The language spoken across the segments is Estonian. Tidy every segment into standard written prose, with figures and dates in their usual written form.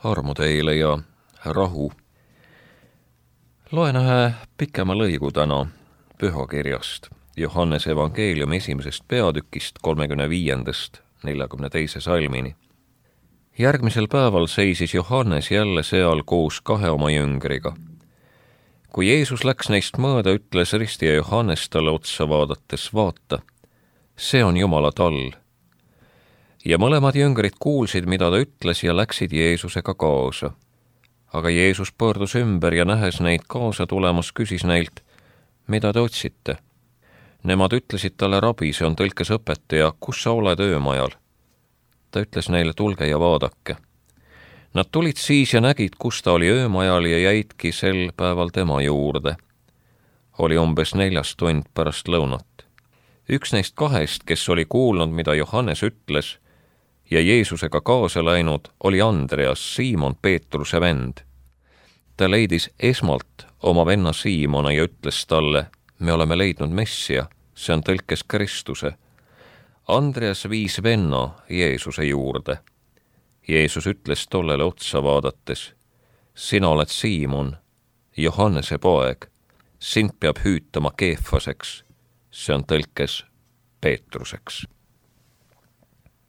Armu teile ja rahu. Loen ühe pikema lõigu täna pühakirjast Johannese evangeeliumi 1. peatükist 35. 42. salmini. Järgmisel päeval seisis Johannes jälle seal koos 2 oma jüngriga. Kui Jeesus läks neist mööda, ütles ristija Johannes talle otsa vaadates, vaata, see on Jumala tall. Ja mõlemad jüngrid kuulsid, mida ta ütles ja läksid Jeesusega kaasa. Aga Jeesus pöördus ümber ja nähes neid kaasa tulemas, küsis neilt, mida te otsite? Nemad ütlesid talle, rabi, see on tõlkes õpetaja, kus sa oled öömajal? Ta ütles neile, tulge ja vaadake. Nad tulid siis ja nägid, kus ta oli öömajal ja jäidki sel päeval tema juurde. Oli umbes 4 tund pärast lõunat. Üks neist 2, kes oli kuulnud, mida Johannes ütles, ja Jeesusega kaasa läinud, oli Andreas, Siimon Peetruse vend. Ta leidis esmalt oma venna Siimona ja ütles talle, me oleme leidnud Messia, see on tõlkes Kristuse. Andreas viis venna Jeesuse juurde. Jeesus ütles tollele otsa vaadates, sina oled Siimon, Johannese poeg, sind peab hüütama Keefaseks, see on tõlkes Peetruseks.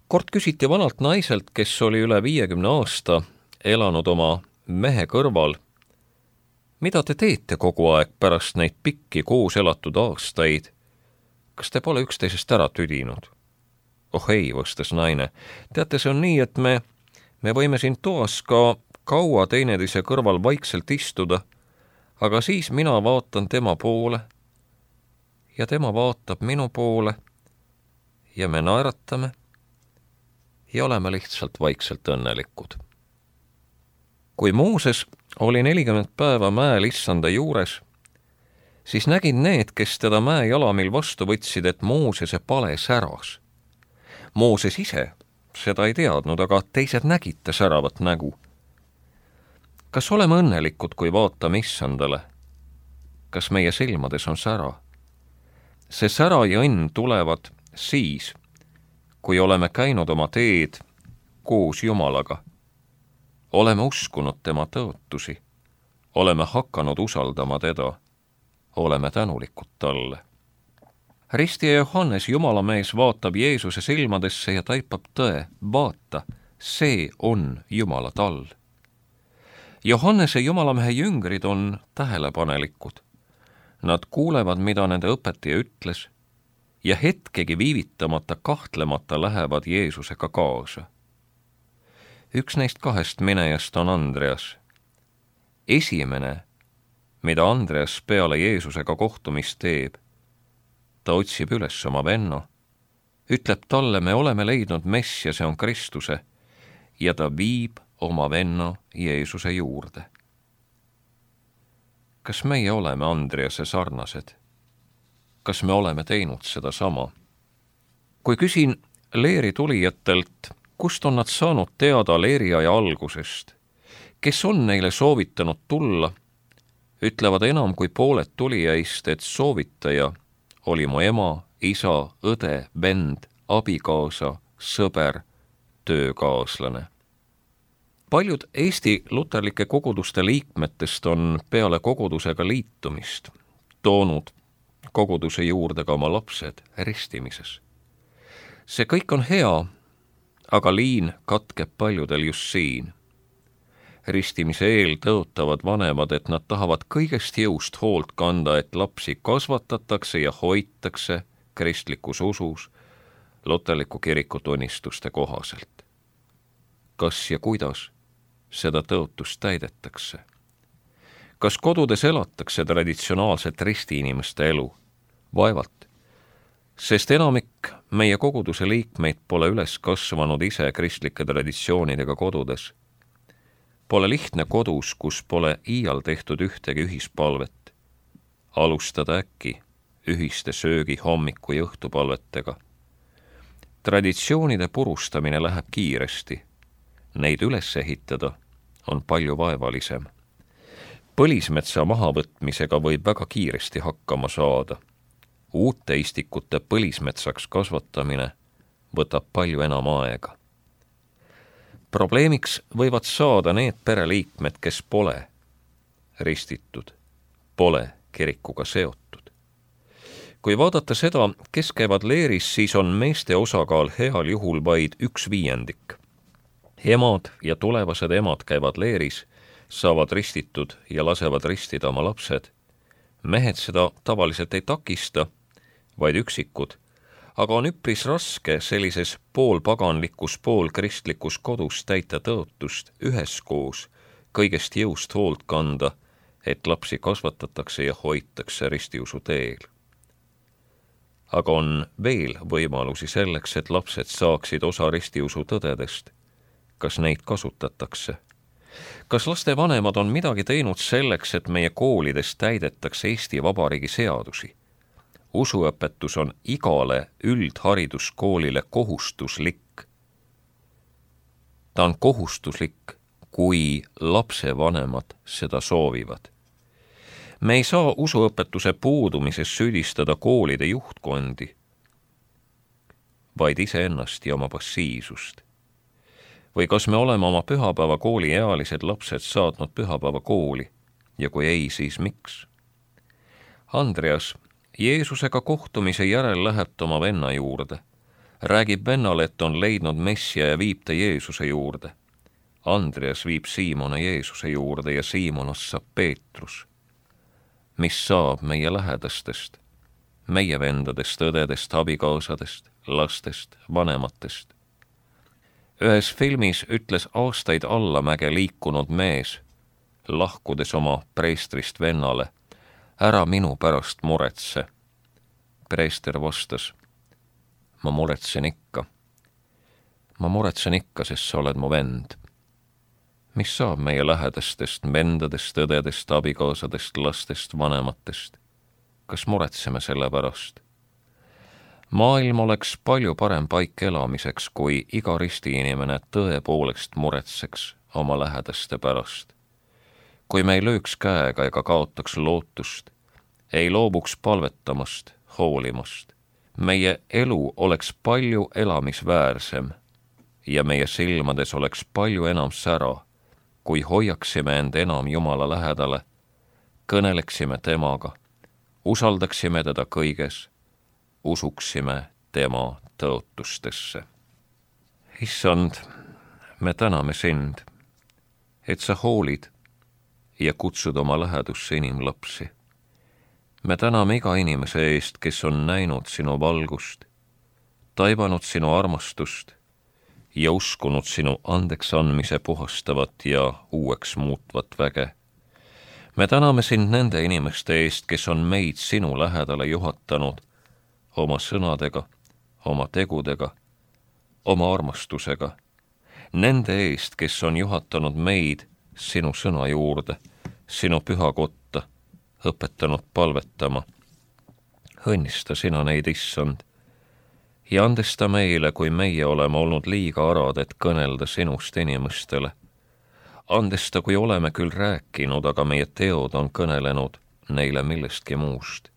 Kord küsiti vanalt naiselt, kes oli üle 50 aasta elanud oma mehe kõrval, mida te teete kogu aeg pärast neid pikki koos elatud aastaid? Kas te pole üksteisest ära tüdinud? Oh ei, vastas naine. Teate, see on nii, et me võime siin toas ka kaua teineteise kõrval vaikselt istuda, aga siis mina vaatan tema poole ja tema vaatab minu poole ja me naeratame ja oleme lihtsalt vaikselt õnnelikud. Kui Mooses oli 40 päeva mäel issanda juures, siis nägid need, kes teda mäe jalamil vastu võtsid, et Moosese pale säras. Mooses ise seda ei teadnud, aga teised nägid ta säravat nägu. Kas oleme õnnelikud, kui vaatame issandale? Kas meie silmades on sära? See sära ja õnn tulevad siis, kui oleme käinud oma teed koos Jumalaga. Oleme uskunud tema tõotusi, oleme hakanud usaldama teda, oleme tänulikud talle. Ristija Johannes, Jumala mees, vaatab Jeesuse silmadesse ja taipab tõe, vaata, see on Jumala tall. Johannese Jumalamehe jüngrid on tähelepanelikud. Nad kuulevad, mida nende õpetaja ütles, ja hetkegi viivitamata kahtlemata lähevad Jeesusega kaasa. Üks neist 2 minejast on Andreas. Esimene, mida Andreas peale Jeesusega kohtumist teeb, ta otsib üles oma venna, ütleb talle, me oleme leidnud Messia, see on Kristuse, ja ta viib oma venna Jeesuse juurde. Kas meie oleme Andrease sarnased? Kas me oleme teinud seda sama? Kui küsin leeri tulijatelt, kust on nad saanud teada leeriaja algusest, kes on neile soovitanud tulla, ütlevad enam kui pooled tulijaist, et soovitaja oli mu ema, isa, õde, vend, abikaasa, sõber, töökaaslane. Paljud Eesti luterlike koguduste liikmetest on peale kogudusega liitumist toonud koguduse juurde ka oma lapsed ristimises. See kõik on hea, aga liin katkeb paljudel just siin. Ristimise eel tõotavad vanemad, et nad tahavad kõigest jõust hoolt kanda, et lapsi kasvatatakse ja hoitakse kristlikus usus luterliku kiriku tunnistuste kohaselt. Kas ja kuidas seda tõotust täidetakse? Kas kodudes elatakse traditsionaalset ristiinimeste elu? Vaevalt, sest enamik meie koguduse liikmeid pole üles kasvanud ise kristlike traditsioonidega kodudes. Pole lihtne kodus, kus pole iial tehtud ühtegi ühispalvet. Alustada äkki ühiste söögi hommiku ja õhtupalvetega. Traditsioonide purustamine läheb kiiresti. Neid üles ehitada on palju vaevalisem. Põlismetsa mahavõtmisega võib väga kiiresti hakkama saada. Uute istikute põlismetsaks kasvatamine võtab palju enam aega. Probleemiks võivad saada need pereliikmed, kes pole ristitud, pole kirikuga seotud. Kui vaadata seda, kes käivad leeris, siis on meeste osakaal heal juhul vaid 1/5. Emad ja tulevased emad käivad leeris, saavad ristitud ja lasevad ristida oma lapsed. Mehed seda tavaliselt ei takista, vaid üksikud, aga on üpris raske sellises poolpaganlikus, poolkristlikus kodus täita tõotust üheskoos kõigest jõust hoolt kanda, et lapsi kasvatatakse ja hoitakse ristiusu teel. Aga on veel võimalusi selleks, et lapsed saaksid osa ristiusu tõdedest. Kas neid kasutatakse? Kas laste vanemad on midagi teinud selleks, et meie koolides täidetakse Eesti Vabariigi seadusi? Usuõpetus on igale üldhariduskoolile kohustuslik. Ta on kohustuslik, kui lapsevanemad seda soovivad. Me ei saa usuõpetuse puudumises süüdistada koolide juhtkondi, vaid iseennast ja oma passiivsust. Või kas me oleme oma pühapäevakooli ealised lapsed saatnud pühapäevakooli ja kui ei, siis miks? Andreas Jeesusega kohtumise järel läheb ta oma venna juurde. Räägib vennale, et on leidnud Messia ja viib ta Jeesuse juurde. Andreas viib Siimone Jeesuse juurde ja Siimonast saab Peetrus. Mis saab meie lähedastest, meie vendadest, õdedest, abikaasadest, lastest, vanematest? Ühes filmis ütles aastaid allamäge liikunud mees, lahkudes oma preestrist vennale, ära minu pärast muretse. Preester vastas, ma muretsen ikka. Ma muretsen ikka, sest sa oled mu vend. Mis saab meie lähedastest, vendadest, õdedest, abikaasadest, lastest, vanematest? Kas muretseme selle pärast? Maailm oleks palju parem paik elamiseks, kui iga ristiinimene tõepoolest muretseks oma lähedaste pärast. Kui me ei lööks käega ega kaotaks lootust, ei loobuks palvetamast, hoolimast. Meie elu oleks palju elamisväärsem ja meie silmades oleks palju enam sära, kui hoiaksime end enam Jumala lähedale, kõneleksime temaga, usaldaksime teda kõiges, usuksime tema tõotustesse. Issand, me täname sind, et sa hoolid ja kutsud oma lähedusse inimlapsi. Me täname iga inimese eest, kes on näinud sinu valgust, taibanud sinu armastust ja uskunud sinu andeks andmise puhastavat ja uueks muutvat väge. Me täname sind nende inimeste eest, kes on meid sinu lähedale juhatanud oma sõnadega, oma tegudega, oma armastusega. Nende eest, kes on juhatanud meid sinu sõna juurde, sinu pühakotta, õpetanud palvetama. Õnnista sina neid, Issand, ja andesta meile, kui meie oleme olnud liiga arad, et kõnelda sinust inimestele. Andesta, kui oleme küll rääkinud, aga meie teod on kõnelenud neile millestki muust.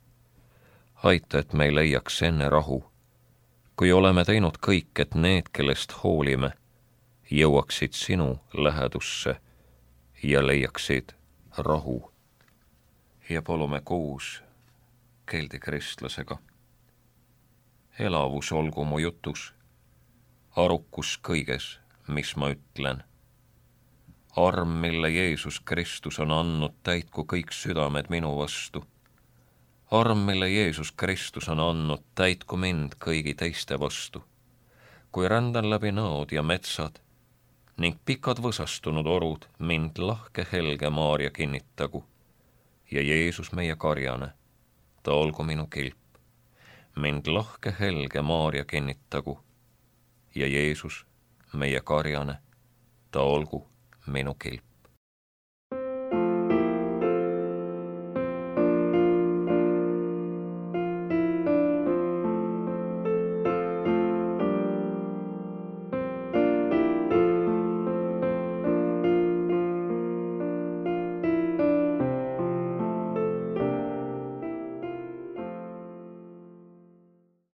Aita, et me ei leiaks enne rahu, kui oleme teinud kõik, et need, kellest hoolime, jõuaksid sinu lähedusse ja leiaksid rahu. Ja palume koos Keldi kristlasega. Elavus olgu mu jutus, arukus kõiges, mis ma ütlen. Arm, mille Jeesus Kristus on andnud, täitku kõik südamed minu vastu. Arm, mille Jeesus Kristus on andnud, täitku mind kõigi teiste vastu. Kui rändan läbi nõod ja metsad ning pikad võsastunud orud, mind lahke helge Maarja kinnitagu. Ja Jeesus meie karjane, ta olgu minu kilp. Mind lahke helge Maarja kinnitagu. Ja Jeesus meie karjane, ta olgu minu kilp.